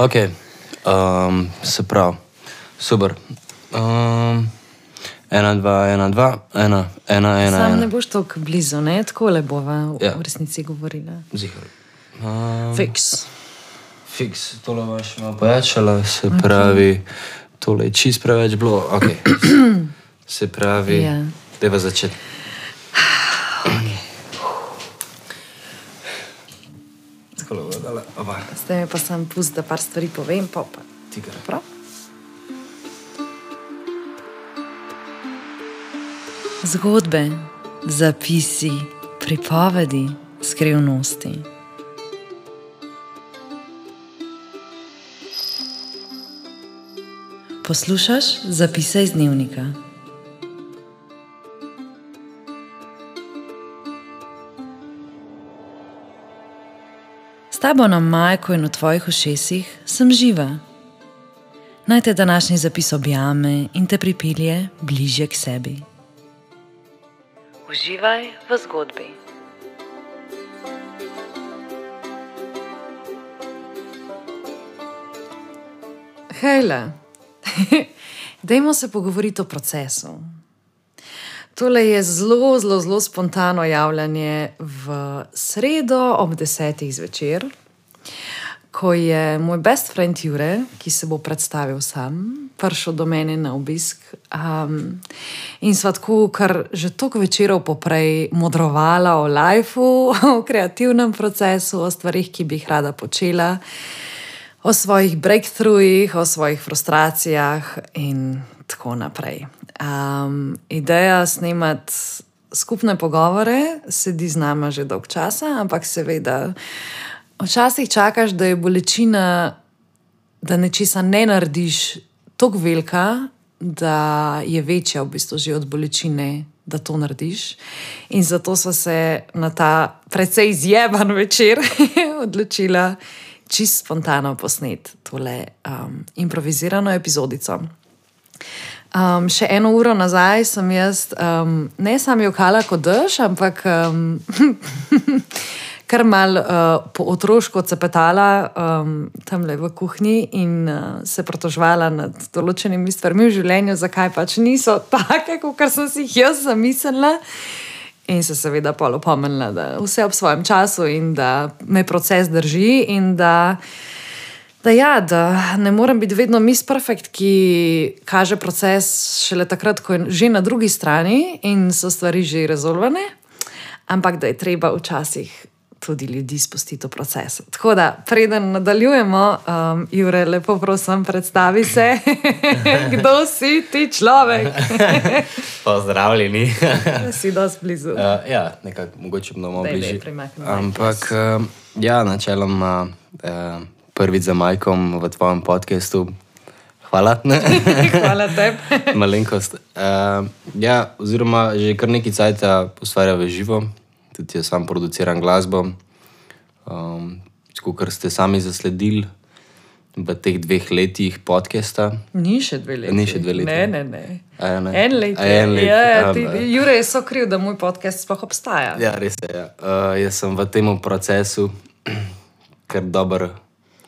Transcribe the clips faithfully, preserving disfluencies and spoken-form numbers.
Ok, um, se pravi, super. Um, ena, dva, ena, dva, ena, ena, ena. Sam ena. ne boš tako blizu, ne? Tako le bova v, Ja. v resnici govorila. Zihar. Um, Fiks. Fiks, tole boš malo pojačala, se okay. pravi, tole je čist preveč bilo, ok. Se pravi, Ja. dajva začeti. Takole bo dala, oba. Zdaj mi pa sam pust, da par stvari povem, pa pa. Tigar. Prav? Zgodbe, zapisi, pripovedi, skrivnosti. Poslušaš zapise iz dnevnika. S tabo na majku in v tvojih ušesih sem živa. Naj te današnji zapis objame in te pripelje bližje k sebi. Uživaj v zgodbi. Hejla, dajmo se pogovoriti o procesu. Tole je zelo, zelo, zelo spontano javljanje v sredo ob desetih zvečer, ko je moj best friend Jure, ki se bo predstavil sam, prišel do mene na obisk. Um, in sva tako, kar že toliko večerov poprej modrovala o lifeu, o kreativnem procesu, o stvarih, ki bi jih rada počela, o svojih breakthroughih, o svojih frustracijah in tako naprej. Um, ideja snemati skupne pogovore sedi z nama že dolg časa, ampak seveda včasih čakaš, da je bolečina, da nečesa ne narediš tako velika, da je večja v bistvu že od bolečine, da to narediš. In zato sva se na ta precej izjeban večer odločila čisto spontano posneti tole um, improvizirano epizodico. Um, še eno uro nazaj sem jaz um, ne samo jokala kot dež, ampak um, kar mal uh, po otroško cepetala um, tamle v kuhinji in uh, se pritoževala nad določenimi stvarmi v življenju, zakaj pač niso take, kot sem si jih jaz zamislila. In se seveda pol opomnila, da vse ob svojem času in da me proces drži in da, da, ja, da ne morem biti vedno Miss Perfect, ki kaže proces šele takrat, ko je že na drugi strani in so stvari že rezolvane, ampak da je treba včasih tudi ljudi spustiti v proces. Tako da, preden nadaljujemo, um, Jure, lepo prosim, predstavi se, kdo si ti človek. Pozdravljeni. Si dosti blizu. Uh, ja, nekako, mogoče bomo Daj, bližje. daj, premakni Ampak, uh, ja, načeloma uh, prvič za Majkom v tvojem podcastu. Hvala. Hvala tebi. Malenkost. Uh, ja, oziroma, že kar nekaj cajta ustvarja v živo. Tudi jaz sam produciram glasbo. Um, Kar ste sami zasledili v teh dveh letih podcasta. Ni še dve leti. Ni še dve leti. Ne, ne, ne. A ja, ne. En let. A en let. Ja, ti, Um, Jure je so kriv, da moj podcast sploh obstaja. Ja, res je. Ja. Uh, jaz sem v tem procesu kar dobro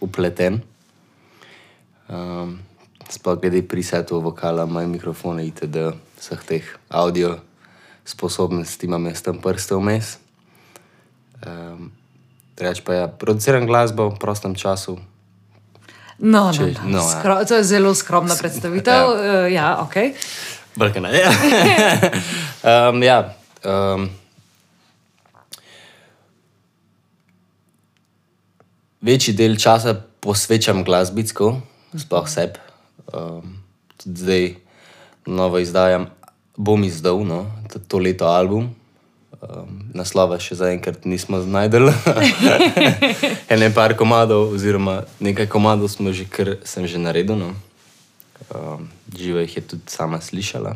upleten. Um, sploh glede presetov, vokala, moj mikrofon itd. Vseh teh audio sposobnosti imam jaz tam prste vmes. Um, Reč pa ja, produciram glasbo v prostem času. No, Če- no, no. no, ja. Skro, to je zelo skromna predstavitev. Ja. Uh, ja, ok. Brkana, ja. um, ja um, večji del časa posvečam glasbicko, sploh sebi. Um, tudi zdaj novo izdajam, bom izdal, no, to, to leto album. Um, naslova še zaenkrat nismo znajdeli. Ene par komadov, oziroma nekaj komadov smo že, kar sem že naredil. No. Um, živo jih je tudi sama slišala.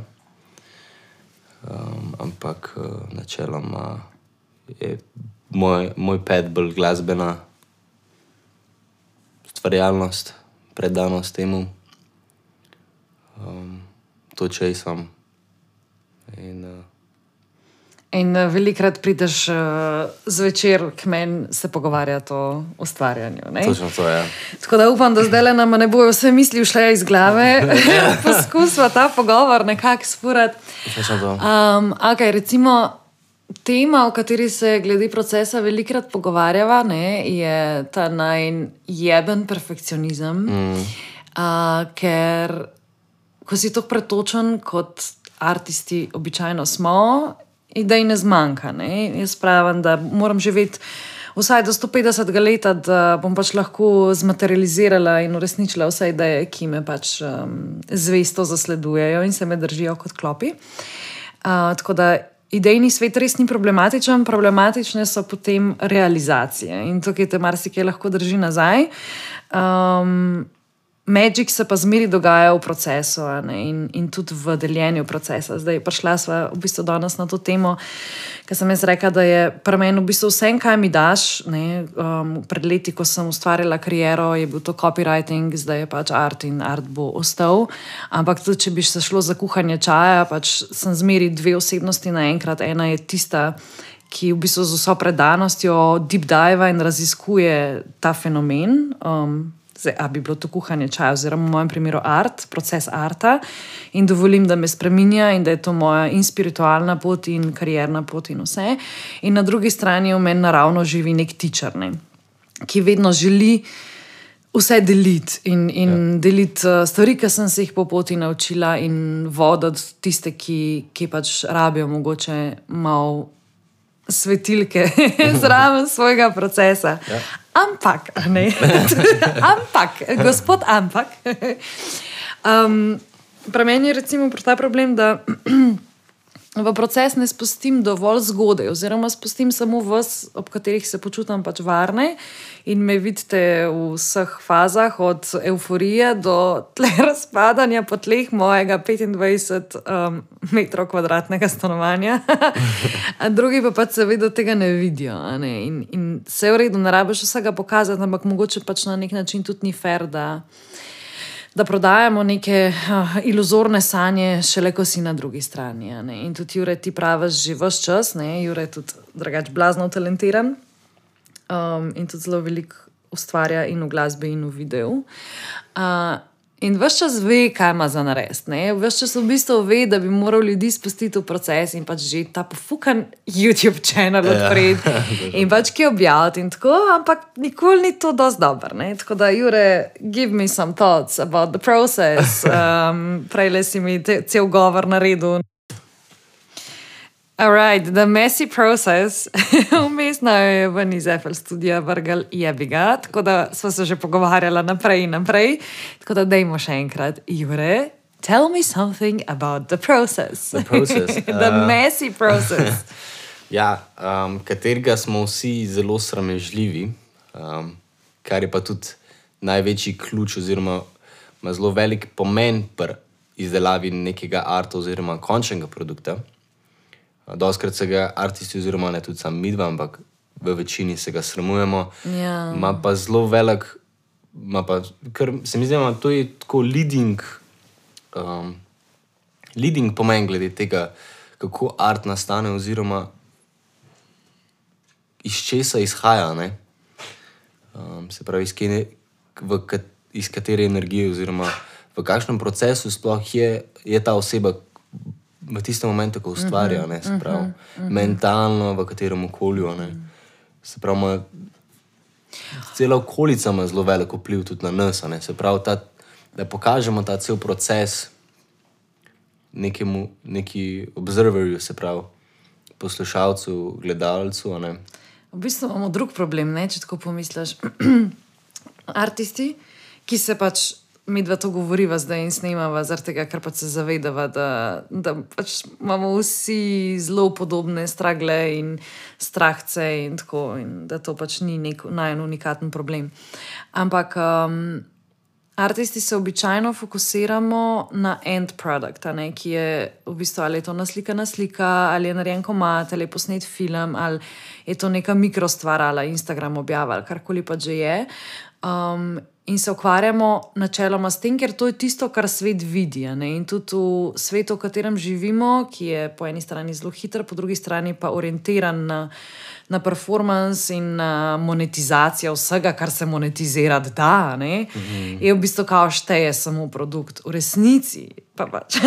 Um, ampak uh, načeloma je moj, moj pet bolj glasbena stvarjalnost, predanost temu. Um, to čej sem. In, uh, In uh, velikrat prideš uh, zvečer k meni se pogovarjati o ustvarjanju. Ne? Točno to, ja. Tako da upam, da zdaj nam ne bojo vse misli šle iz glave. Poskusva ta pogovor nekako spurati. Točno to. Um, okay, recimo, tema, o kateri se glede procesa velikrat pogovarjava, ne, je ta najjeben perfekcionizem. Mm. Uh, ker ko si tako pretočen, kot artisti običajno smo, idej ne zmanjka. Ne? Jaz pravim, da moram živeti vsaj do sto petdesetega leta, da bom pač lahko zmaterializirala in uresničila vse ideje, ki me pač um, zvesto zasledujejo in se me držijo kot klopi. Uh, tako da idejni svet res ni problematičen, problematične so potem realizacije in tukaj te marsikaj lahko drži nazaj. Um, Magic se pa zmeri dogaja v procesu in, in tudi v deljenju procesa. Zdaj prišla sva v bistvu danes na to temo, ker sem jaz rekla, da je pri meni v bistvu vse, kaj mi daš. Ne, um, pred leti, ko sem ustvarjala kariero, je bil to copywriting, zdaj je pač art in art bo ostal. Ampak tudi, če bi se šlo za kuhanje čaja, pač sem zmeri dve osebnosti naenkrat. Ena je tista, ki v bistvu z vso predanostjo deep dive in raziskuje ta fenomen. Um, Zdaj, a bi bilo to kuhanje čaja, oziroma v mojem primeru art, proces arta, in dovolim, da me spreminja in da je to moja in spiritualna pot in karierna pot in vse. In na drugi strani v meni naravno živi nek teacher, ne, ki vedno želi vse deliti in, in ja. deliti stvari, ki sem se jih po poti naučila in voditi tiste, ki, ki pač rabijo mogoče malo svetilke zraven svojega procesa. Ja. Ampak, ne, ampak, gospod ampak. Um, pri meni je recimo ta problem, da v proces ne spustim dovolj zgodaj, oziroma spustim samo vas, ob katerih se počutam pač varne in me vidite v vseh fazah, od euforije do tle razpadanja po tleh mojega petindvajset um, metrov kvadratnega stanovanja. Drugi pa pač seveda tega ne vidijo. Ne? In, in vse v redu, ne rabiš vsega pokazati, ampak mogoče pač na nek način tudi ni fair, da da prodajamo neke uh, iluzorne sanje, šele ko si na drugi strani. Ne? In tudi Jure, ti praviš že ves čas, ne? Jure je tudi drugače blazno talentiran um, in tudi zelo veliko ustvarja in v glasbi in v videu. Uh, in ves čas ve, kaj ima za narediti. Ves čas v bistvu ve, da bi moral ljudi spustiti v proces in pač že ta pofukan YouTube channel odpreti ja. in pač ki objaviti in tako, ampak nikoli ni to dosti dobro. Tako da, Jure, give me some thoughts about the process. Um, Prejle si mi te, cel govor naredil. Alright, the messy process. Vmesno je ven iz F L studija vrgel jebiga, tako da sva se že pogovarjala naprej in naprej. Tako da dejmo še enkrat. Jure, tell me something about the process. The process. the uh, messy process. ja, um, katerega smo vsi zelo sramežljivi, um, kar je pa tudi največji ključ oziroma ima zelo velik pomen pri izdelavi nekega arta oziroma končnega produkta. Doskrat se ga artisti, oziroma ne tudi sam midva, ampak v večini se ga sramujemo. Ja. Ma pa zelo velik, ma pa, ker se mi zdi, da to je tako leading, um, leading pomen glede tega, kako art nastane, oziroma iz česa izhaja, ne? Um, se pravi, iz, kene, v, iz katere energije, oziroma v kakšnem procesu sploh je, je ta oseba v tistem momentu, ko ustvarja, ne, se pravi, uh -huh, uh -huh. mentalno, v katerem okolju, ne, se pravi, ima, cela okolica ima zelo veliko vpliv tudi na nas, ne, se pravi, ta, da pokažemo ta cel proces nekemu, neki observerju, se pravi, poslušalcu, gledalcu, ne. V bistvu imamo drug problem, ne, če tako pomisliš. Artisti, ki se pač midva to govoriva zdaj in snemava, zaradi tega, ker pač se zavedava, da, da pač imamo vsi zelo podobne stragle in strahce in tako, in da to pač ni nek najbolj unikaten problem. Ampak um, artisti se običajno fokusiramo na end product, ne, ki je v bistvu ali je to naslikana slika, ali je narejen komad, ali je posnet film, ali je to neka mikrostvar, ali Instagram objava, ali karkoli pač že je. Um, in se ukvarjamo načeloma s tem, ker to je tisto, kar svet vidi. In tudi v svetu, v katerem živimo, ki je po eni strani zelo hiter, po drugi strani pa orientiran na, na performance in na monetizacijo vsega, kar se monetizirati da, mm-hmm. je v bistvu kao šteje samo produkt. V resnici pa pač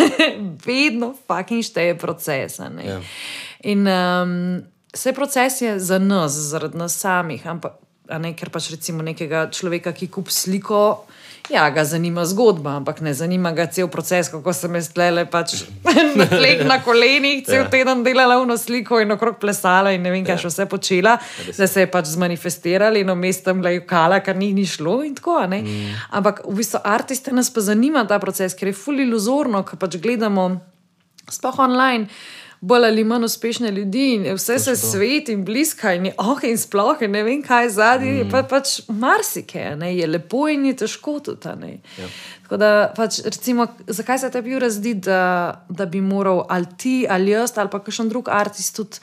vedno fucking šteje proces. Yeah. In um, vse proces je za nas, zaradi nas samih, ampak a ne, ker pač recimo nekega človeka, ki kup sliko, ja, ga zanima zgodba, ampak ne zanima ga cel proces, kako sem jaz tlele pač na tleh, na kolenih, cel teden delala vno sliko in okrog plesala in ne vem, kaj še vse počela, da se je pač zmanifestirala in vmes tam lajkala, kar ni ni šlo in tako, ne. Mm. Ampak v bistvu artiste nas pa zanima ta proces, ker je ful iluzorno, ko pač gledamo sploh online, bolj ali manj uspešne ljudi in vse se svet in bliska in je ok in sploh in ne vem kaj zadnji, mm. pa pač marsike, ne, je lepo in je težko tudi, ne. Ja. Tako da pač recimo, zakaj se tebi razdi, da, da bi moral ali ti, ali jaz, ali pa kakšen drug artist tudi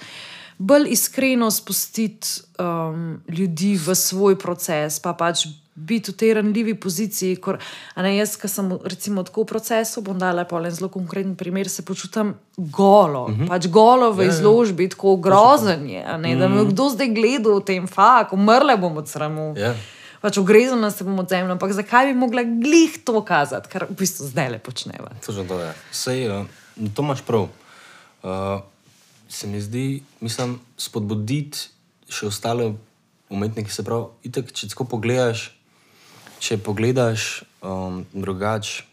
bolj iskreno spustiti um, ljudi v svoj proces, pa pač biti v tej ranljivi poziciji, kor, a ne, jaz, ki sem recimo tako v procesu, bom dala pa en zelo konkreten primer, se počutam golo, mm-hmm. pač golo v izložbi, tako grozen je, a ne, da me kdo zdaj gleda v tem, fak, umrle bom od sramu, yeah. pač ugrezena se bom od zemlje, ampak zakaj bi mogla glih to kazati, kar v bistvu zdaj le počneva. Točno to je. Sej, uh, to imaš prav. Uh, se mi zdi, mislim, spodbuditi še ostale umetnike, se pravi, itak, če tako pogledaš, če pogledaš um, drugač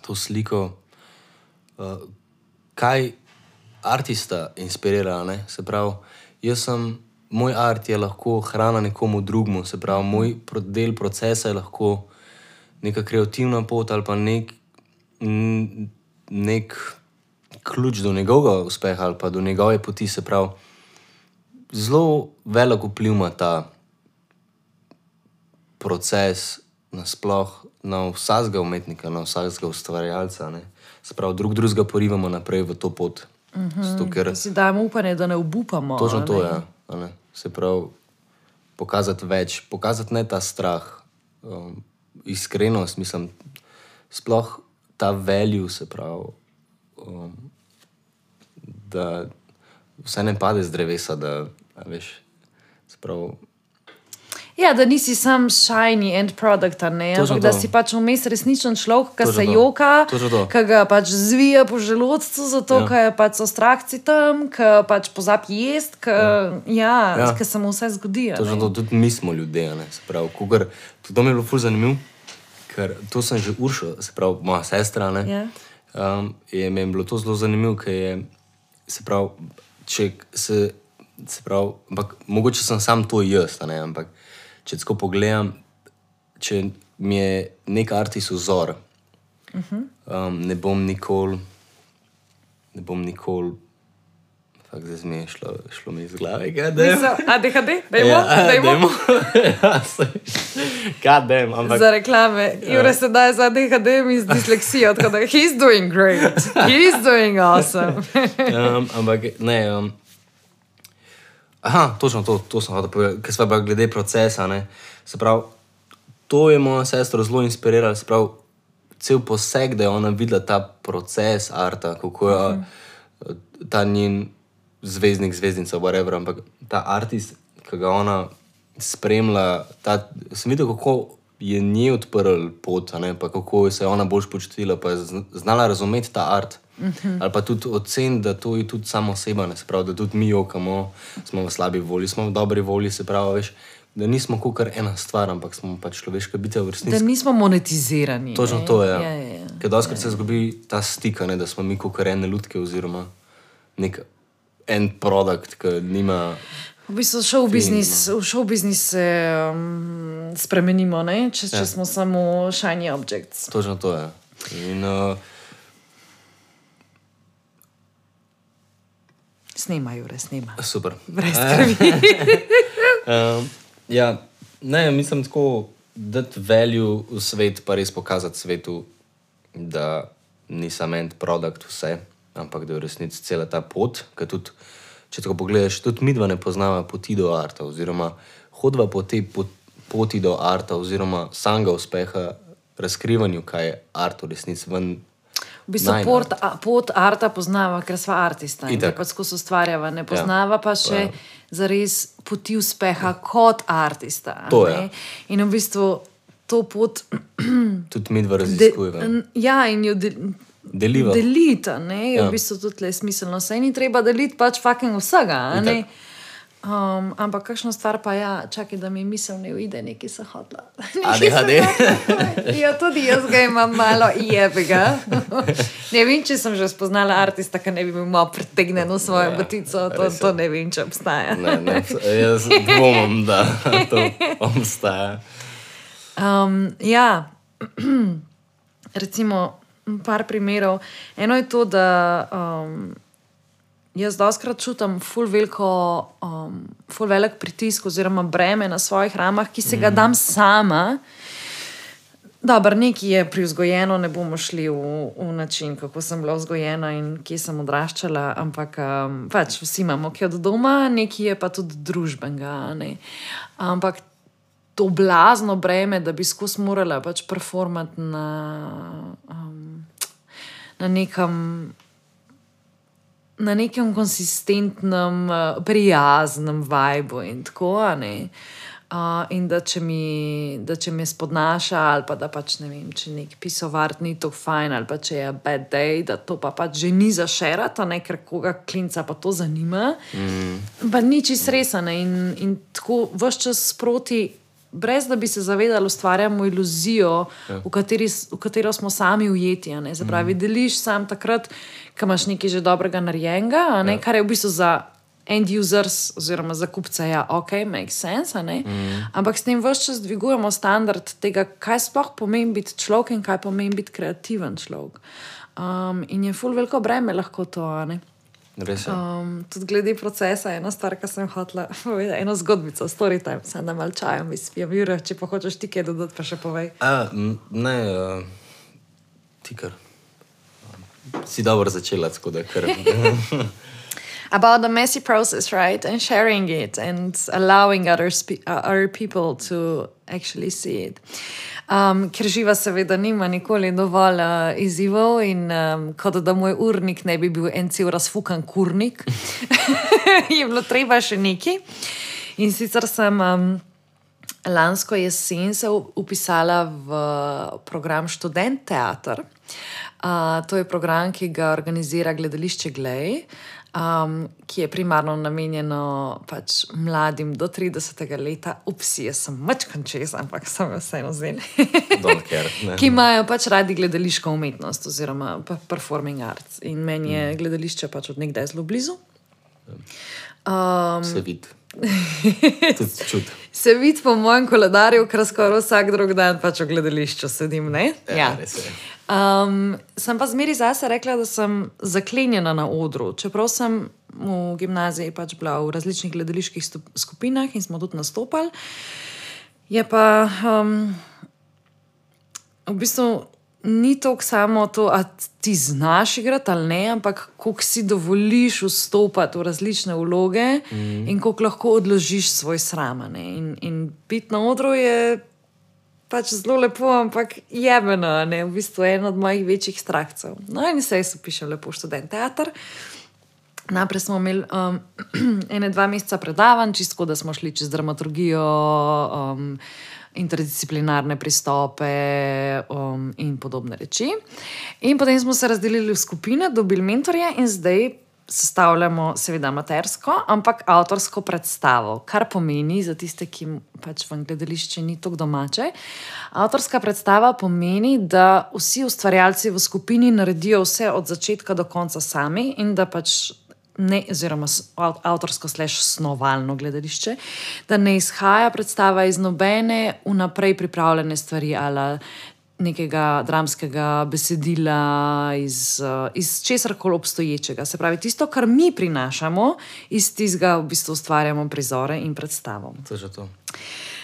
to sliko, uh, kaj artista inspirira, ne? Se pravi, jaz sem, moj art je lahko hrana nekomu drugmu, se pravi, moj del procesa je lahko neka kreativna pot ali pa nek, nek ključ do njegovega uspeha ali pa do njegove poti, se pravi, zelo velik vpliv ima ta proces nasploh na vsakega umetnika, na vsakega ustvarjalca, ne. Se pravi, drug drugega porivamo naprej v to pot. Mm-hmm. Zato, ker si dajemo upanje, da ne obupamo. Točno to je, ja, ne. Se pravi, pokazati več, pokazati ne ta strah, um, iskrenost, mislim, sploh ta value, se pravi, um, da vse ne pade z drevesa, da, a veš, se pravi, ja, da nisi sam shiny end product, ne, ampak da si pač vmes resničen človek, ki se joka, ki ga pač zvija po želodcu, zato, ja. Ki je pač ostrakci tam, ki pač pozabi jest, ki ja, ja, ja. se mu vse zgodi. Točno to, tudi mi smo ljudje, ne, se pravi, kukor, to mi je bilo ful zanimiv, ker to sem že Uršo, se pravi, moja sestra, ne, ja. um, je mi je bilo to zelo zanimiv, ker je, se pravi, če se, se pravi, ampak mogoče sem sam to jaz, ne, ampak če tako pogledam, če mi je nek artist vzor, uh-huh. um, ne bom nikoli, ne bom nikoli, fakt zdaj mi je šlo, šlo mi iz glave, kaj dem? A D H D? Dajmo? Ja, dajmo? Ja, sej, kaj dem? Ampak, za reklame. Jure se daje za D H D mi z disleksijo, tako da he's doing great, he's doing awesome. um, ampak ne, um, aha, točno to, to sem hotel povedati, ker sva pa glede procesa, ne, se pravi, to je moja sestra zelo inspirirala, se pravi, cel poseg, da je ona videla ta proces arta, kako je uh-huh. ta njen zvezdnik, zvezdnica, whatever, ampak ta artist, ki ga ona spremlja, ta, sem videl, kako je nje odprl pot, ne, pa kako se je ona boljš počutila, pa je znala razumeti ta art. Uh-huh. Ali pa tudi ocen, da to je tudi samo oseba, ne, se pravi, da tudi mi jokamo, smo v slabi volji, smo v dobri volji, se pravi, veš, da nismo kakor ena stvar, ampak smo pač človeška bitja v resnici. Da nismo monetizirani. Točno to je, ja. Ja, ja, ja. Ker doskrat ja, ja. se zgubi ta stika, ne, da smo mi kakor ene lutke oziroma nek end product, ki nima... V bistvu show business, v show business se um, spremenimo, ne, če, ja. če smo samo shiny objects. Točno to je. In... Uh, Snema, Jure, snema. Super. Brez krvi. um, ja, ne, mislim tako, dati value v svet, pa res pokazati svetu, da ni samo end product vse, ampak da je v resnici cela ta pot, ker tudi, če tako pogledaš, tudi midva ne poznava poti do arta, oziroma hodva po tej, po, poti do arta oziroma samega uspeha, razkrivanju, kaj je art v resnici ven. V bistvu najin pot, art. a, pot arta poznava, ker sva artista in Itak. pa skozi ustvarjava. Ne poznava pa še Ja. zares poti uspeha kot artista. To ne. je. In v bistvu to pot Tudi mi dva de, raziskujeva. n- ja, in jo de, Deliva. delita, ne, je Ja. v bistvu tudi tle smiselno. Saj ni treba deliti pač fucking vsega, a ne. Itak. Um, ampak kakšna stvar pa ja, čakaj, da mi misel ne uide, nekaj se hotla. A D H D. Ja, tudi jaz ga imam malo jebega. Ne vem, če sem že spoznala artista, ki ne bi bil malo pretegnjen v svojo batico, to, res je. to ne vem, če obstaja. Ne, ne, jaz dvomim, da to obstaja. Um, ja, recimo, par primerov. Eno je to, da um, jaz doskrat čutim ful, veliko, um, ful velik pritisk oziroma breme na svojih ramah, ki se ga dam sama. Dobro, nekaj je privzgojeno, ne bomo šli v, v način, kako sem bila vzgojena in kje sem odraščala, ampak um, pač vsi imamo kaj od doma, nekaj je pa tudi družbenega. Ne? Ampak to blazno breme, da bi skozi morala pač performati na, um, na nekem. Na nekem konsistentnem, uh, prijaznem vibu in tako, a ne. Uh, in da če, mi, da če me spodnaša, ali pa da pač ne vem, če nek pisovart ni tako fajn, ali pa če je bad day, da to pa pač že ni za šerati, ne, ker koga klinca pa to zanima. Mm. Pa ni čisto resane in, in tako ves čas sproti, brez da bi se zavedali, ustvarjamo iluzijo, ja. v, kateri, v katero smo sami ujeti. a ne. Se pravi, mm. deliš sam takrat, ko imaš nekaj že dobrega narejenega, a ne, ja. kar je v bistvu za end users oziroma za kupce, ja, ok, makes sense, a ne. Mm. Ampak s tem ves čas dvigujemo standard tega, kaj sploh pomeni biti človek in kaj pomeni biti kreativen človek. Um, in je ful veliko breme lahko to, a ne. Res je. Um, tudi glede procesa, ena stvar, ki sem hotela povedati, eno zgodbico, story time, sem da mal čajem izpijem. Jure, če pa hočeš ti kaj dodati, pa še povej. A, m, ne, uh, ti kar. Si dobro začela, tako da kar. About the messy process, right? And sharing it and allowing other, spe- uh, other people to actually see it. Um, ker živa seveda nima nikoli dovolj uh, izzivov in um, kot da moj urnik ne bi bil en cel razfukan kurnik, je bilo treba še nekaj. In sicer sem um, lansko jesen se upisala v program Študent teater. Uh, to je program, ki ga organizira gledališče Glej. Um, ki je primarno namenjeno pač mladim do tridesetega leta, upsi, jaz sem mačkan čez, ampak sem vseeno zen, ki imajo pač radi gledališko umetnost oziroma performing arts. In meni je gledališče pač od nekdaj zelo blizu. Um, Se vidi. Tudi čut. Se vidi po mojem koledarju, ker skoraj vsak drug dan pač v gledališču sedim, ne? Ja, res je. Um, sem pa zmeri zase rekla, da sem zaklenjena na odru. Čeprav sem v gimnaziji pač bila v različnih gledaliških stup- skupinah in smo tudi nastopali, je pa um, v bistvu ni toliko samo to, a ti znaš igrati ali ne, ampak koliko si dovoliš vstopati v različne vloge mm. in koliko lahko odložiš svoj sram. ne. In, in biti na odru je pač zelo lepo, ampak jebeno, ne, v bistvu je eno od mojih večjih strahcev. No, in se jaz upišem lepo v Študent teater. Najprej smo imeli um, ene dva meseca predavanj, čisto, da smo šli čez dramaturgijo, um, interdisciplinarne pristope um, in podobne reči. In potem smo se razdelili v skupine, dobili mentorje in zdaj sestavljamo seveda amatersko, ampak avtorsko predstavo, kar pomeni za tiste, ki pač v gledališče ni tako domače. Avtorska predstava pomeni, da vsi ustvarjalci v skupini naredijo vse od začetka do konca sami in da pač ne, oziroma avtorsko slash snovalno gledališče, da ne izhaja predstava iz nobene vnaprej pripravljene stvari ali nekega dramskega besedila, iz, iz česarkoli obstoječega. Se pravi, tisto, kar mi prinašamo, iz tistega v bistvu ustvarjamo prizore in predstavo. To je že to.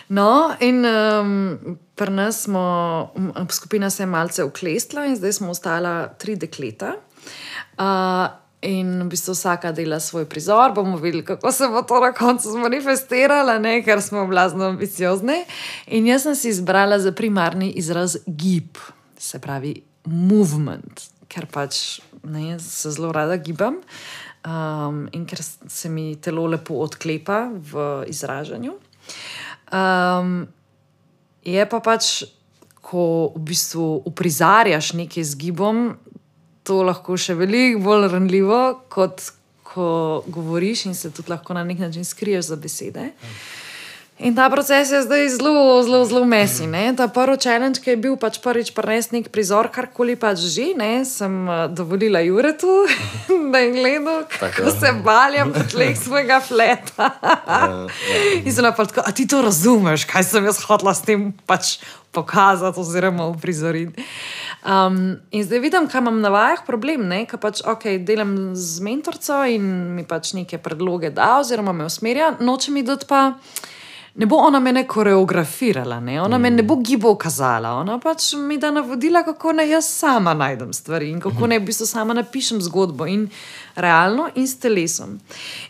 No, in um, pri nas smo, skupina se je malce uklestila in zdaj smo ostala tri dekleta. Uh, in v bistvu vsaka dela svoj prizor, bomo videli, kako se bo to na koncu zmanifestiralo, ne, ker smo blazno ambiciozni. In jaz sem si izbrala za primarni izraz gib, se pravi movement, ker pač ne, se zelo rada gibam um, in ker se mi telo lepo odklepa v izražanju. Um, je pa pač, ko v bistvu uprizarjaš nekaj z gibom, to lahko še veliko bolj ranljivo, kot ko govoriš in se tudi lahko na nek način skriješ za besede. In ta proces je zdaj zelo, zelo, zelo mesi. Ne? Ta prvi challenge, ki je bil pač prvič prinesti nek prizor, karkoli pač že, ne? Sem uh, dovolila Juretu, da je gledal, kako se baljam po tleh svojega fleta. In sem pa tako, a ti to razumeš, kaj sem jaz hotela s tem pač pokazati oziroma uprizoriti. Um, in zdaj vidim, kaj imam na vajah problem, ne? Kaj pač, ok, delam z mentorco in mi pač neke predloge da oziroma me usmerja, noče mi dati pa ne bo ona mene koreografirala, ne? Ona mm. me ne bo gibov kazala, ona pač mi da navodila, kako ne jaz sama najdem stvari in kako ne v bistvu sama napišem zgodbo in realno in s telesom.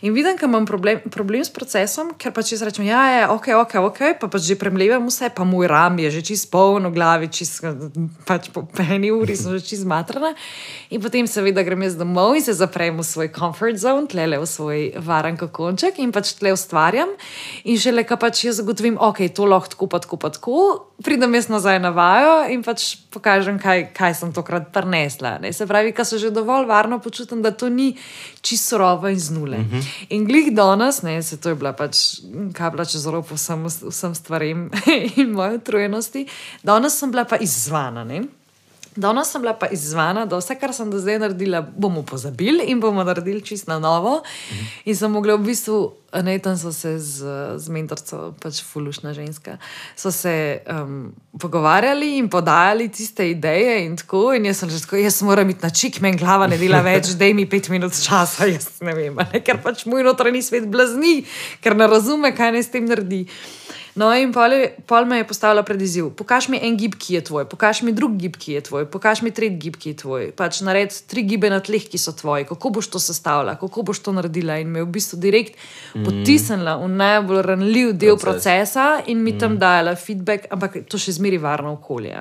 In vidim, kaj imam problem, problem s procesom, ker pač jaz rečem, ja, je, ok, ok, ok, pa pač že premlevam vse, pa moj ram je že čist poln v glavi, čist, pač po eni uri sem že čist zmatrana in potem seveda grem jaz domov in se zaprem v svoj comfort zone, tlele v svoj varen kokonček in pač tle ustvarjam in šele, ka pač jaz zagotovim, ok, to lahko tako, pa tako, pa tako, pridem jaz nazaj na vajo in pač pokažem, kaj, kaj sem tokrat prinesla. Ne? Se pravi, ka se že dovolj varno počutim, da to ni čisto surova in z nule. Uh-huh. In glih danes, ne, se to je bila pač kabla čez rob vsem, vsem stvarem in moje utrujenosti, danes sem bila pa izzvana, ne. Danes sem bila pa izzvana, da vse, kar sem do zdaj naredila, bomo pozabili in bomo naredili čisto na novo. Mm. In sem mogla v bistvu, ne, tam so se z, z mentorco, pač fulušna ženska, so se um, pogovarjali in podajali tiste ideje in tako. In jaz sem že tako, jaz moram iti na čik, meni glava ne dela več, daj mi pet minut časa, jaz ne vem, ne, ker pač moj notranji svet blazni, ker ne razume, kaj naj s tem naredi. No, in pol, pol me je postavila pred izziv. Pokaž mi en gib, ki je tvoj, pokaž mi drug gib, ki je tvoj, pokaž mi tretji gib, ki je tvoj. Pač nared tri gibe na tleh, ki so tvoji. Kako boš to sestavila, kako boš to naredila? In me je v bistvu direkt mm. potisnila v najbolj ranljiv del Proces. procesa in mi mm. tam dajala feedback, ampak to še zmeri varno okolje.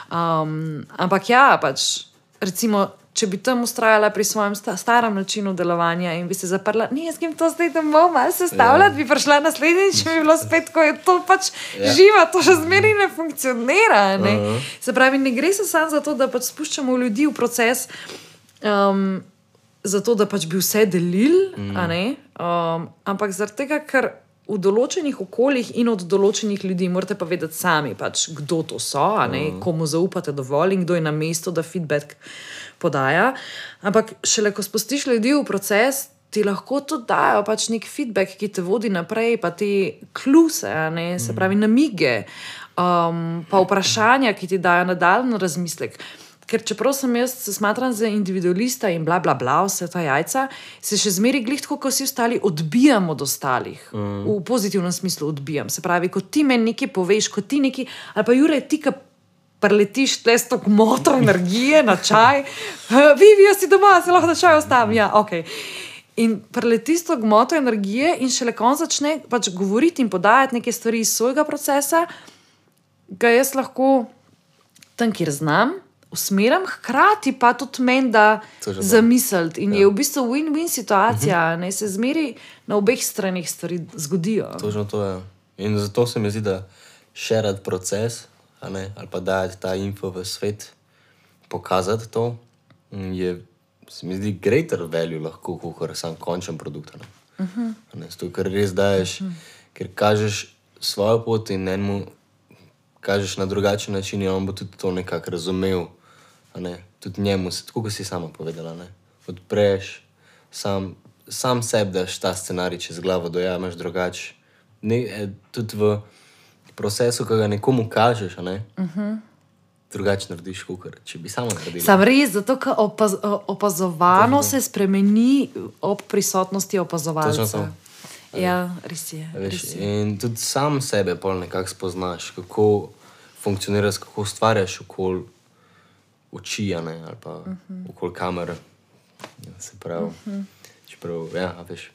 Um, ampak ja, pač recimo, če bi tam ustrajala pri svojem sta- starem načinu delovanja in bi se zaprla, ne, jaz grem to zdaj domov malo sestavljati, yeah. bi prišla naslednjič, če bi bilo spet, ko je to pač yeah. živa, to še zmeri ne funkcionira. Ne? Uh-huh. Se pravi, ne gre se samo za to, da pač spuščamo ljudi v proces, um, zato da pač bi vse delili, mm. a ne? Um, ampak zaradi tega, ker v določenih okoljih in od določenih ljudi morate pa vedeti sami, pač, kdo to so, a ne? Uh-huh. Komu zaupate dovolj in kdo je na mestu, da feedback podaja. Ampak šele, ko spustiš ljudi v proces, ti lahko tudi dajo pač nek feedback, ki te vodi naprej, pa te kluse, ne? Se pravi namige, um, pa vprašanja, ki ti dajo nadaljnji razmislek. Ker čeprav sem jaz se smatram za individualista in bla, bla, bla, vse ta jajca, se še zmeri glih tako, ko vsi ostali odbijam od ostalih. Mm. V pozitivnem smislu odbijam. Se pravi, ko ti meni nekaj poveš, ko ti nekaj, ali pa Jure, ti, ka preletiš tle s to gmoto energije na čaj, Vivi, jaz si doma, se lahko na čaj ostavim. Ja, ok. In preletiš s to gmoto energije in šele ko on začne pač govoriti in podajati neke stvari iz svojega procesa, ga jaz lahko tam, kjer znam, usmeram, hkrati pa tudi meni da zamisliti. In ja. je v bistvu win-win situacija, uh-huh. ne se zmeri na obeh stranih stvari zgodijo. Točno to je. In zato se mi zdi, da šerati proces, a ne, ali pa dajati ta info v svet, pokazati to, je, se mi zdi, greater value lahko, kot sam končen produkt. Ne. Uh-huh. Ne, zato, ker res daješ, uh-huh. ker kažeš svojo pot in enemu kažeš na drugačen način in on bo tudi to nekako razumel. Ne? Tudi njemu, tako kot si sama povedala, ne? Odpreš, sam, sam sebi daš ta scenarij čez glavo, dojameš drugače. Ne, tudi v procesu, ko ga nekomu kažeš, ne? Uh-huh. drugače narediš, kukor, če bi sama naredila. Sam res, zato, ker opaz, opazovano se spremeni ob prisotnosti opazovalca. Ja, res je. Veš, res je. In tudi sam sebe pol nekako spoznaš, kako funkcioniraš, kako ustvarjaš okoli oči, ne, ali pa uh-huh. okoli kamere. Se pravi, uh-huh. čeprav, ja, veš.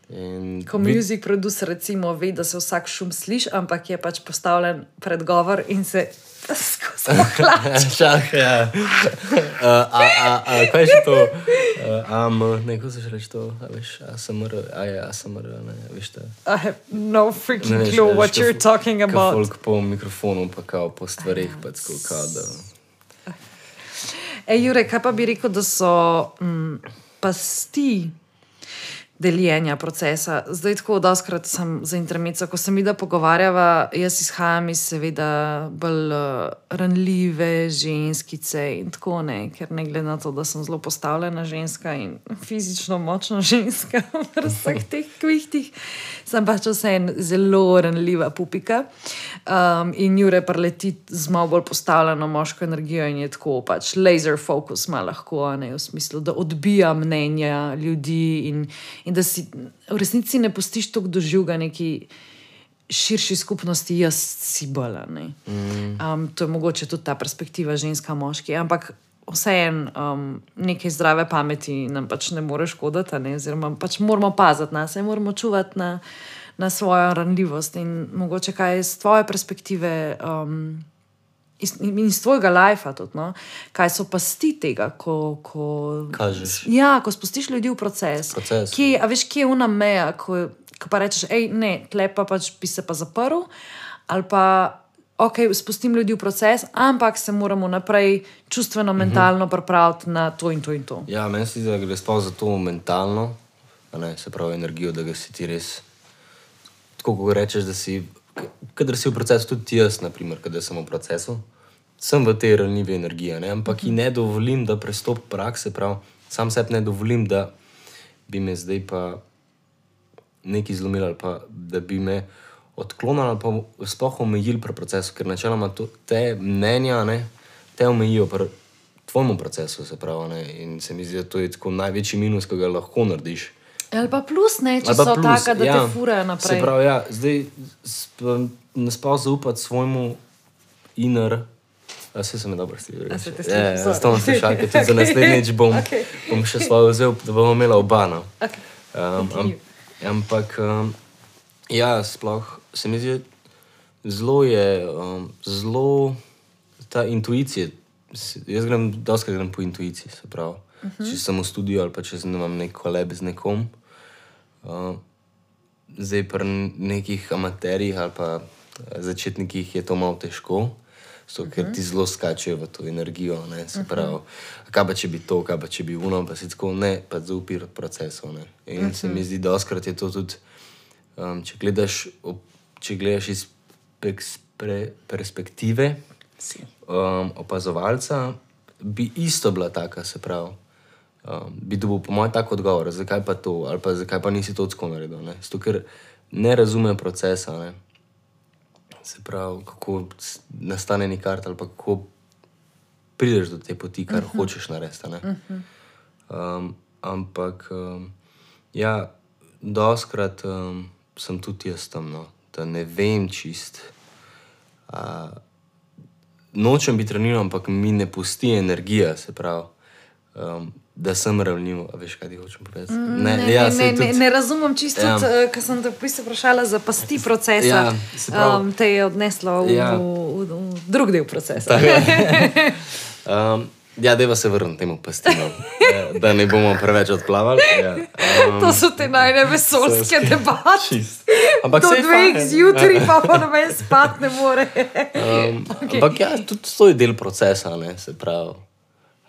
In ko music producer recimo ve, da se vsak šum sliši, ampak je pač postavljen predgovor in se skozi pohlače. Šah, ja. uh, a, a, a, kaj je še to? Uh, am, neko se še reči to, a veš, A S M R, a je A S M R, ne, veš te. I have no freaking ne, veš, clue what you're talking about. Ka folk po mikrofonu, pa kao po stvarih, pa tako kao, da... Ej, Jure, kaj pa bi rekel, da so mm, pasti deljenja procesa. Zdaj tako doskrat sem za intermezzo, ko se mi da pogovarjava, jaz izhajam iz seveda bolj uh, ranljive ženskice in tako ne, ker ne glede na to, da sem zelo postavljena ženska in fizično močna ženska v vseh teh kvihtih, sem pač vseeno zelo ranljiva pupika um, in Jure preleti z malo bolj postavljeno moško energijo in je tako pač laser focus ima lahko, ne, v smislu, da odbija mnenja ljudi in in da si v resnici ne pustiš toliko doživega neki širši skupnosti, jaz si bolj. Mm. Um, to je mogoče tudi ta perspektiva ženska-moški, ampak vseeno um, nekaj zdrave pameti nam pač ne more škoditi, ne? Oziroma pač moramo paziti na se, moramo čuvati na, na svojo ranljivost in mogoče kaj z tvoje perspektive um, in iz tvojega lajfa tudi, no? Kaj so pasti tega, ko, ko, ja, ko spustiš ljudi v proces. proces. Kje, a veš, kje je una meja, ko, ko pa rečeš, ej, ne, tle pa pač bi se pa zaprl, ali pa, ok, spustim ljudi v proces, ampak se moramo naprej čustveno, mentalno pripraviti na to in to in to. Ja, meni se zdi, da gre sploh za to mentalno, ne, se pravi energijo, da ga si ti res, tako ko rečeš, da si, kadar si v procesu, tudi jaz, naprimer, kadar sem v procesu, sem v tej ranljivi energiji, ne? Ampak ji ne dovolim, da prestop prakse, prav, sam sebi ne dovolim, da bi me zdaj pa nekaj zlomil ali pa da bi me odklonil ali pa sploh omejil pri procesu, ker načeloma to, te mnenja, ne, te omejijo pri tvojemu procesu, se pravi, ne? In se mi zdi, da to je tako največji minus, ki ga lahko narediš. Ali pa plus, ne, če so plus, taka, da ja, te furajo naprej. Se pravi, ja, zdaj ne spal zaupati svojemu inner. A vse se mi dobro sliši. A se te sliši? Ja, zato bom slišal, ker tudi za naslednjič bom, okay. bom še svojo vzel, da bomo imela oba. No. Okay. Um, am, ampak, um, ja, sploh se mi zdi, zelo je, um, zelo ta intuicija, jaz grem, doskrat grem po intuiciji, se pravi. Uh-huh. Če sem v studiu ali pa če imam nek koleb z nekom, uh, zdaj pri nekih amaterjih ali pa začetnikih je to malo težko, so, ker ti zelo skačejo v to energijo, ne, se pravi, kaj pa če bi to, kaj pa če bi uno, pa si tako, ne, pa zaupi procesov, ne. In se mi zdi, doskrat je to tudi, um, če gledaš, če gledaš iz pre, perspektive um, opazovalca, bi isto bila taka, se pravi, um, bi dobil po mojem tak odgovor, zakaj pa to, ali pa zakaj pa nisi to tako naredil, ne. Zato, ker ne razume procesa, ne. Se pravi, kako nastane nek art ali pa kako prideš do te poti, kar uh-huh. hočeš narediti, ne. Uh-huh. Um, ampak, um, ja, doskrat um, sem tudi jaz tam, no, da ne vem čist. Uh, nočem biti ranljiv, ampak mi ne pusti energija, se pravi, um, da sem ranljiv, a veš, kaj ti hočem povedati? Ne, ne, ja, ne, ne, tudi, ne razumem čisto, ja. Tudi, ker sem te v bistvu vprašala za pasti procesa, ja, prav, um, te je odneslo v, ja. v, v, v drug del procesa. um, ja, deva se vrnem temu pastinu, ja, da ne bomo preveč odplavali. Ja. Um, to so te najne vesoljske debate. Ampak do dveh zjutraj pa pa noben spat ne more. um, okay. Ampak ja, tudi to je del procesa, ne, se pravi.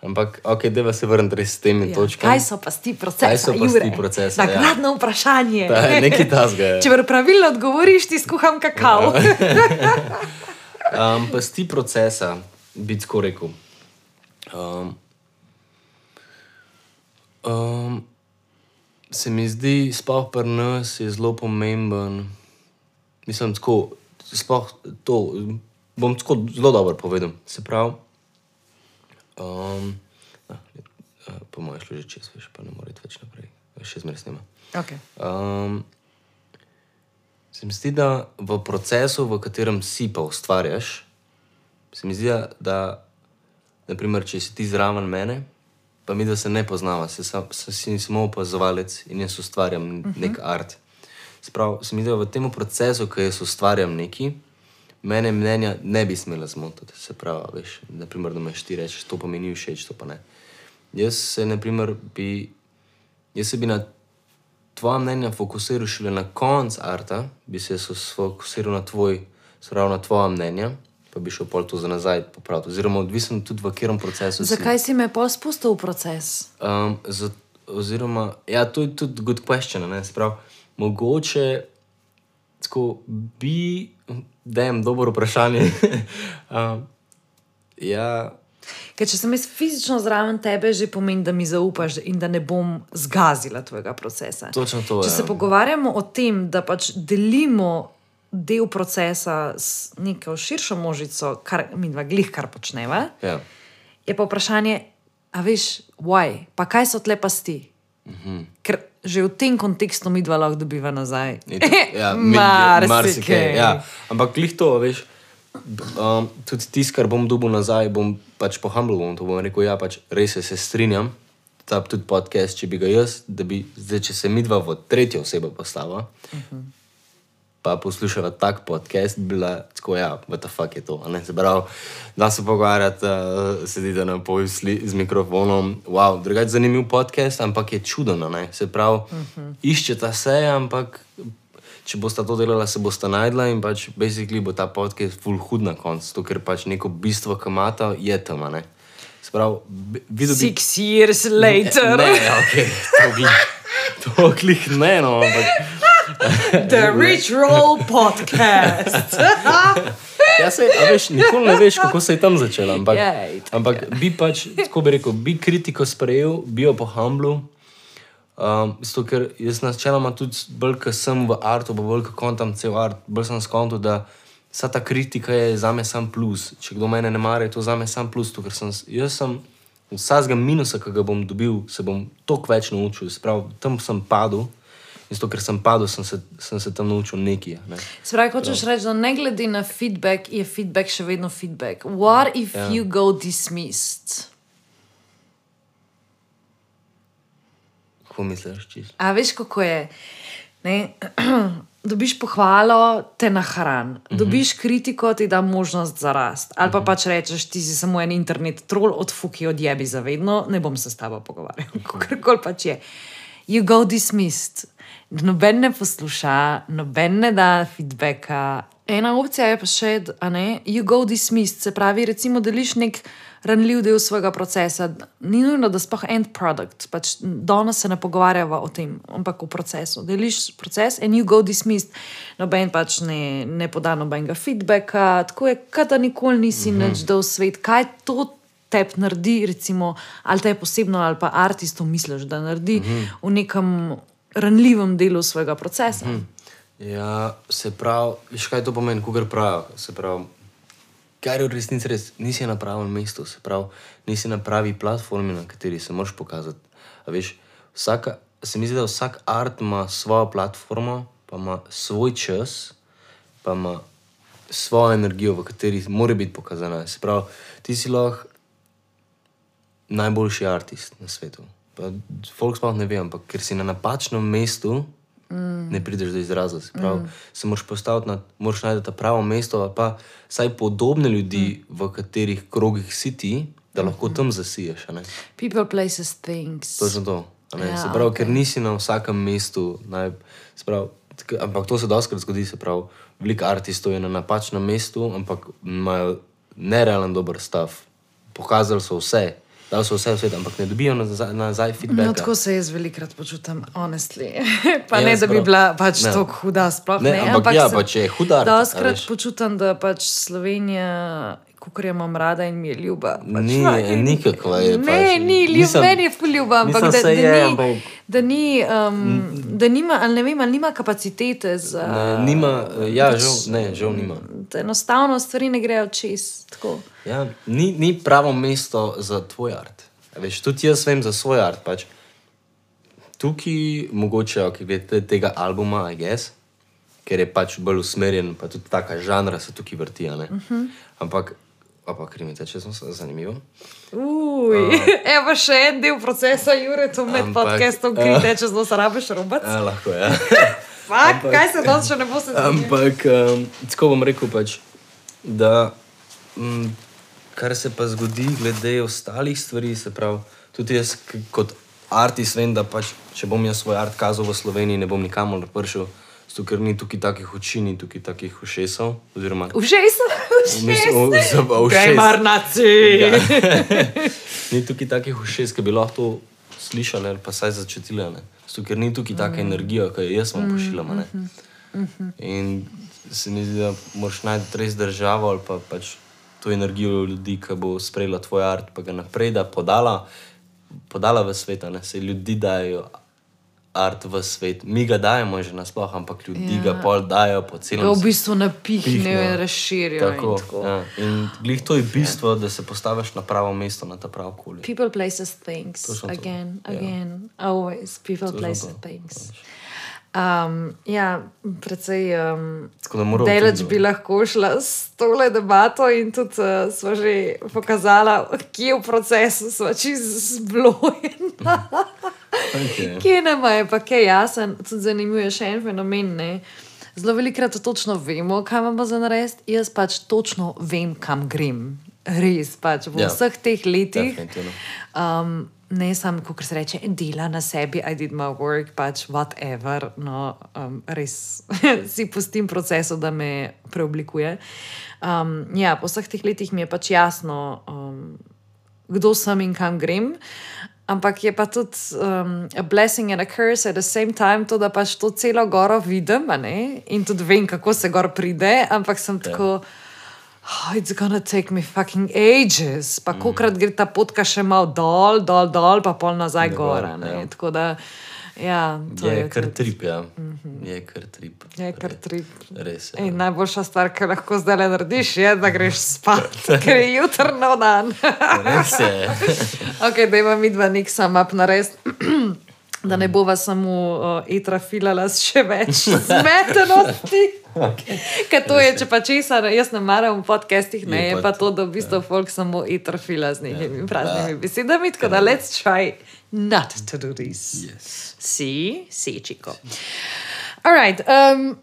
Ampak, ok, deva se vrniti res s temi ja. točkami. Kaj so pasti procesa, Kaj so pasti procesa, Jure? Nagradno ja. vprašanje. Ta, nekaj tasga je. Če pravilno odgovoriš, ti skuham kakao. um, pasti procesa, bi tako rekel. Um, um, se mi zdi, sploh pri nas je zelo pomemben, mislim, tako, sploh to, bom tako zelo dobro povedal, se pravi, Um, na, po mojem šlo že čez, veš, pa ne more iti več naprej. Še zmeraj snima. Okay. Um, se mi zdi, da v procesu, v katerem si pa ustvarjaš, se mi zdi, da, naprimer, če si ti zraven mene, pa mi, da se ne poznava, se, sam, se si samo opazovalec in jaz ustvarjam uh-huh. nek art. Sprav, se mi da v tem procesu, ko jaz ustvarjam neki, mene mnenja ne bi smela zmotiti. Se pravi, veš, naprimer, da meš ti rečeš, to pa mi ni všeč, to pa ne. Jaz se, naprimer, bi, jaz se bi na tvoja mnenja fokusiral šele na konc arta, bi se fokusiral na tvoj, sprav na tvoja mnenja, pa bi šel pol to za nazaj popraviti. Oziroma, odvisno tudi v katerem procesu si. Zakaj si me pol spustil v proces? Um, za, oziroma, ja, to je tudi good question, ne, sprav, mogoče, tako, bi, dajem dobro vprašanje, um, ja, Ker če sem jaz fizično zraven tebe, že pomeni, da mi zaupaš in da ne bom zgazila tvojega procesa. Točno to, če ja. se pogovarjamo o tem, da pač delimo del procesa s neko širšo množico, kar mi dva glih kar počneva, ja. je pa vprašanje, a veš, why? Pa kaj so tle pasti? Mhm. Ker že v tem kontekstu mi dva lahko dobiva nazaj. Ja, marsikaj. Ja. Ampak glih to, veš, um, tudi tisto, kar bom dobil nazaj, bom pač pohambl, bom to bom rekel, ja, pač res se strinjam, ta tudi podcast, če bi ga jaz, da bi, zdaj, če se midva v tretjo osebo postava, uh-huh. pa poslušava tak podcast, bi bila tako, ja, what the fuck je to, a ne, se pravi, da se pogovarjati, uh, sedite na pojsli z mikrofonom, wow, drugače zanimiv podcast, ampak je čudno, ne, se pravi, uh-huh. iščeta se, ampak če bosta to delala, se bosta najdla in pač basically bo ta podcast full hud na koncu, to, ker pač neko bistvo, ki imata, je tam, ne. Sprav, videl bi... Six years later. Ne, ne, okej, okay. to glih ne, no, ampak... The Rich Roll Podcast. Ja, sej, a veš, nikoli ne veš, kako se je tam začela, ampak, Jej, ampak bi pač, tako bi rekel, bi kritiko sprejel, bi jo pohamblu, Um, zato, ker jaz načeloma tudi bolj, ko sem v artu, pa bolj, ko kontam cel art, bolj sem skontil, da vsa ta kritika je zame sam plus. Če kdo mene ne mara, je to zame sam plus, to, ker sem, jaz sem vsakega minusa, ki ga bom dobil, se bom toliko več naučil. Sprav, tam sem padel in zato, ker sem padel, sem se, sem se tam naučil nekaj. Ne. Spravi, hočeš reči, da ne glede na feedback, je feedback še vedno feedback. What if Ja. you go dismissed? Kako misliš, čisto? A veš, kako je? Ne? Dobiš pohvalo, te nahran. Dobiš kritiko, ti da možnost za rast. Ali pa pač rečeš, ti si samo en internet troll, odfuki, odjebi zavedno, ne bom se s tabo pogovarjal. Kakorkoli pač je. You go dismissed. Noben ne posluša, noben ne da feedbacka. Ena opcija je pa še, a ne, you go dismissed. Se pravi, recimo, deliš nek ranljiv del svojega procesa. Ni nujno, da sploh end product. Pač danes se ne pogovarjava o tem, ampak o procesu. Deliš proces and you go dismissed. Noben pač ne, ne poda nobenega feedbacka. Tako je, kad da nikoli nisi mm-hmm. nič dal svet. Kaj to teb naredi, recimo, ali te je posebno, ali pa artistu misliš, da naredi mm-hmm. v nekem ranljivem delu svojega procesa? Mm-hmm. Ja, se pravi, veš kaj to pomeni, kogar pravijo, se pravi, kar je v resnici res, nisi na pravem mestu, se pravi, nisi na pravi platformi, na kateri se moraš pokazati. A veš, vsaka, se mi zdi, da vsak art ima svojo platformo, pa ima svoj čas, pa ima svojo energijo, v kateri mora biti pokazana. Se pravi, ti si lahko najboljši artist na svetu. Pa folk sploh ne ve, ampak ker si na napačnem mestu, Mm. ne prideš do izraza. Se pravi, mm. se moraš postaviti na, moraš najti pravo mesto, ali pa vsaj podobne ljudi, mm. v katerih krogih si ti, da lahko tam zasiješ. A ne? People, places, things. Točno to. A ne? Ja, Se pravi, okay. ker nisi na vsakem mestu, naj, se pravi, tka, ampak to se dostakrat zgodi, se pravi, veliko artistov je na napačnem mestu, ampak imajo nerealen dober stav. Pokazali so vse, dal so vse v svet, ampak ne dobijo nazaj, nazaj feedbacka. No, tako se jaz velikrat počutam, honestly. Pa Ja, ne, da bi sprav. bila pač Ne. tako huda, sploh ne. Ne, ampak ja, pa če je hud art, a doskrat veš. počutam, da pač Slovenija, kakor jo imam rada in mi je ljuba. Pač Ni, fucking- nikakva je Ne, pač. ni ljub, Nisem- meni je ful ljuba, ampak nisem da, se da, je, ni, ampak- da ni, um, da nima, ali ne vem, ali nima kapacitete za... Ne, nima, ja, žal, ne, žal nima. Da enostavno stvari ne grejo čez, tako. Ja, ni, ni pravo mesto za tvoj art. A veš, tudi jaz vem za svoj art. Pač. Tukaj, mogoče, ok, glede tega albuma, I guess, ker je pač bolj usmerjen, pa tudi taka žanra se tukaj vrti. Uh-huh. Ampak pa krimi teče, sem se zanimivo. Uj, uh, evo še en del procesa, Jure, tu med ampak, podcastom krimi teče, zelo se rabiš robac. Ja, lahko, ja. Fak, ampak, kaj se danes še ne bo se zanimivo? Ampak, um, tako bom rekel pač, da m, kar se pa zgodi glede ostalih stvari, se pravi, tudi jaz kot artist vem, da pač, če bom jaz svoj art kazal v Sloveniji, ne bom nikamor prišel, zato ker ni tukaj takih oči, ni tukaj takih ušesov, oziroma... Ušesov? Ušesov? Gamer naci! Ni tukaj takih ušes, ki bi lahko to slišali ali pa saj začutili, ne. Zato ker ni tukaj taka mm. energija, ki jo jaz vam pošiljam, ne. Mm-hmm. In se mi zdi, da moraš najti res državo ali pa pač to energijo ljudi, ki bo sprejela tvoj art, pa ga naprej, da podala, podala v svet, ne. Se ljudi dajo art v svet. Mi ga dajemo že nasploh, ampak ljudi ja. ga pol dajo po celem svetu. Ga v bistvu napihnejo in razširijo. Tako, in tako. Ja. In glih to je bistvo, ja. da se postaviš na pravo mesto, na ta prav okolje. People, places, things. Again, to. again. Ja. Always. People, to places, things. Um, ja, precej um, deleč bi lahko šla s tole debato in tudi uh, sva že pokazala, kje v procesu sva čist zblojena. Okay. Kje nama je pa kaj jasen, tudi zanimivo je še en fenomen, ne. Zelo velikrat točno vemo, kaj imamo za narediti, jaz pač točno vem, kam grem. Res pač, v yeah. vseh teh letih. Um, ne sam, kako se reče, dela na sebi, I did my work, pač whatever, no, um, res si pustim procesu, da me preoblikuje. Um, ja, po vseh teh letih mi je pač jasno, um, kdo sem in kam grem. Ampak je pa tudi um, a blessing and a curse at the same time, to, da pač to celo goro vidim, ne? In tudi vem, kako se gor pride, ampak sem yeah. tako, oh, it's gonna take me fucking ages. Pa mm. kokrat gre ta potka še malo dol, dol, dol, pa pol nazaj gora, ne? Ja. Tako da, ja. To je, je kar trip, ja. Mm-hmm. Je kar trip. Je kar trip. Res je. In najboljša stvar, ki lahko zdaj le narediš, je, da greš spat, ker je jutr nov dan. Res je. Ok, da ima mi dva nek sam up narediti, da ne bova samo uh, etra filala s še več zmetenosti. Okay. Ker to je, če pa česa, jaz ne maram v podcastih, ne, je, je pa to, da v bistvu yeah. folk samo etra fila z nekimi yeah. praznimi besedami, tako da let's try not to do this. Yes. Si, si, čiko. Alright, um,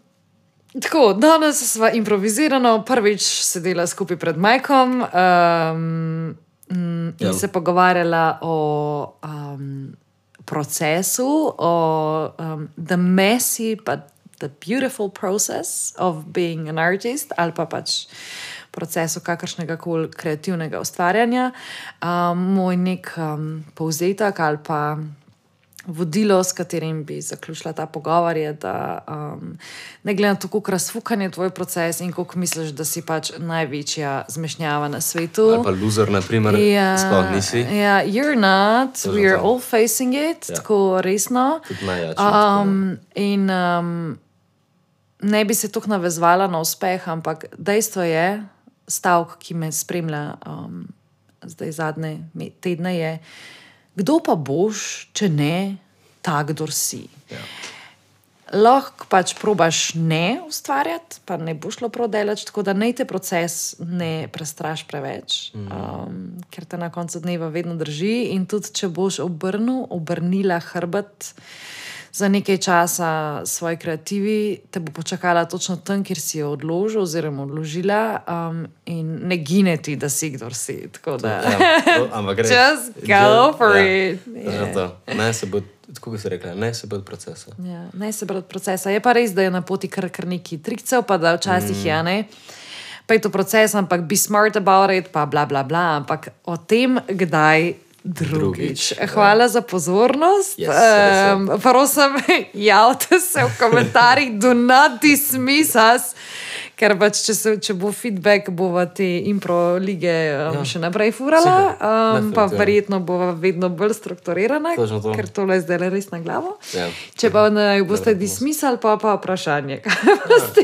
tako, danes sva improvizirano prvič sedela skupaj pred Majkom um, in yeah. se pogovarjala o um, procesu, o um, the messy but the beautiful process of being an artist, ali pa pač procesu kakršnega koli kreativnega ustvarjanja. Um, moj nek um, povzetek ali pa vodilo, s katerim bi zaključila ta pogovor, je, da um, ne glede na to, koliko razfukan je tvoj proces in koliko misliš, da si pač največja zmešnjava na svetu. Ali pa loser, na primer, ja, sploh nisi. Ja, you're not, we are all facing it, ja. Tako resno. Tudi najjači. Um, in um, ne bi se tukaj navezvala na uspeh, ampak dejstvo je, stavk, ki me spremlja um, zdaj zadnje tedne je, kdo pa boš, če ne tak, kdor si. Ja. Lahko pač probaš ne ustvarjati, pa ne bo šlo prav delač, tako da naj te proces ne prestraš preveč, mm. um, ker te na koncu dneva vedno drži in tudi, če boš obrnil, obrnila hrbet za nekaj časa svoji kreativi, te bo počakala točno tam, kjer si jo odložil oziroma odložila um, in ne gine ti, da si kdor si. Tako da, ja, to, ampak gre. Just go for ja, it. Yeah. Ne se bo, tako bi se rekla, ne se bo od procesa. Ja, ne se bo od procesa. Je pa res, da je na poti kar, kar neki trikcev, pa da včasih mm. je, ne? Pa je to proces, ampak be smart about it, pa bla, bla, bla, ampak o tem, kdaj drugič. Hvala ja. za pozornost. Yes, um, prosim, javite se v komentarjih, do not dismiss us, ker pač, če, se, če bo feedback, bova te impro lige um, ja. še naprej furala, um, pa verjetno bova vedno bolj strukturirana, to. Ker tole je zdaj res na glavo. Ja. Če pa ne boste dismissali, pa pa vprašanje. Ja.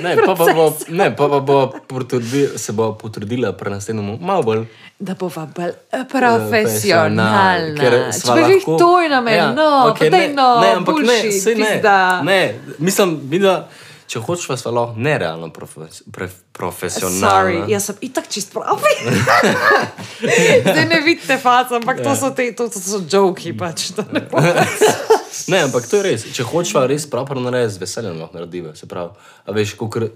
Ne, pa pa bo, ne, pa pa bo potrdi, se bo potrudila pri naslednjemu malo bolj. Da bova bolj profesionalna. Če bi jih toj na meni, ja, no, okay, pa daj no, ne, ampak bullshit, ne, ne, ne, mislim, da, če hočeš, vas pa lahko nerealno profe, pre, profesionalno. Sorry, jaz sem itak čist pravi. Zdaj ne vidite faca, ampak to so, te, to, to so joki, pač. To ne, ne, ampak to je res. Če hočeš pa res proper narediti, z veseljem lahko narediva. Se pravi, a veš, koliko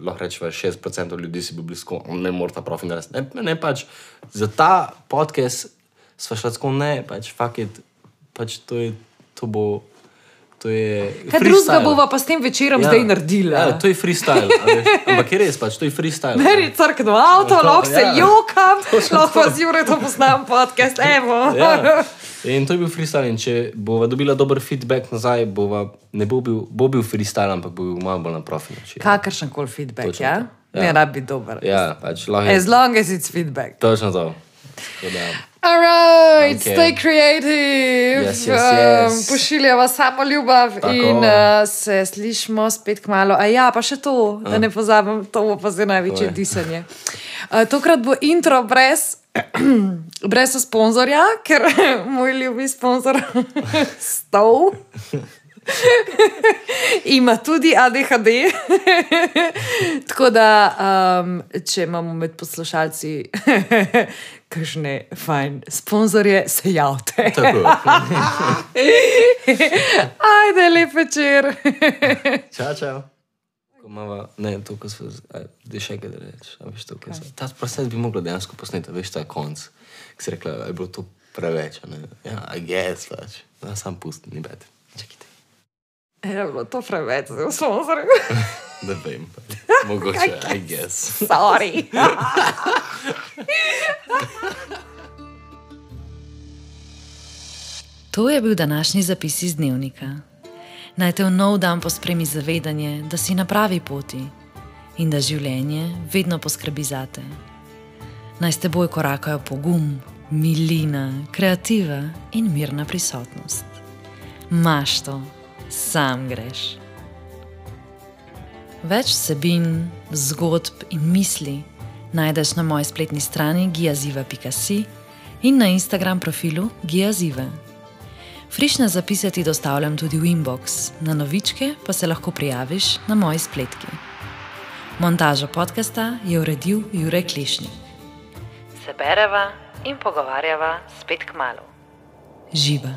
lahko rečeva, šestdeset procentov ljudi si bi blisko, ne mora ta profi narediti. Ne, ne, pač, za ta podcast sva šla tako, ne, pač, fuck it, pač, to je, to bo, to je kaj drugega bova pa s tem večerom ja, zdaj naredila? Ja, to je freestyle, a veš, ampak je res, pač, to je freestyle. Meri crkno avto, lahko se ja, jokam, lahko pa z Jure to posnam podcast, evo. Ja. In to je bil freestyle in če bova dobila dober feedback nazaj, bova, ne bo bil, bo bil freestyle, ampak bo bil malo bolj na profi način. Kakršen kol feedback, točno ja? Ja. Ne rad biti dober. Ja, pač lahko je. As long as it's feedback. Točno to. Da. All right, Okay. stay creative. Yes, yes, yes. Um, pošiljava samo ljubav Tako. in uh, se slišimo spet kmalo. A ja, pa še to, da ne pozabim, to bo pa zdaj največje Oj. disanje. Uh, tokrat bo intro brez, brez sponzorja, ker moj ljubi sponzor Stov ima tudi A D H D. Tako da, um, če imamo med poslušalci kakšne fajn sponzorje, se javte. Tako. Ajde, lep večer. Čau, čau. Ko mava, ne, to, ko smo, da še kaj da reči, a veš to, ko smo. Ta proces bi mogla dejansko posneti, a veš, ta konc. Ko si rekla, je bilo to preveč, a ne? Ja, I guess, pač. Da, sam pusti, ni bed. Čekajte. Je bilo to preveč, zdaj v sponzorju. Da vem, pač. Mogoče, I guess. Sorry. To je bil današnji zapis iz dnevnika. Naj te v nov dan pospremi zavedanje, da si na pravi poti in da življenje vedno poskrbi zate. Naj s teboj korakajo pogum, milina, kreativa in mirna prisotnost. Maš to, sam greš. Več vsebin, zgodb in misli najdeš na moji spletni strani giaziva pika si in na Instagram profilu giaziva. Frišne zapise ti dostavljam tudi v inbox, na novičke pa se lahko prijaviš na moji spletki. Montažo podcasta je uredil Jure Klišnik. Se bereva in pogovarjava spet kmalu. Živa.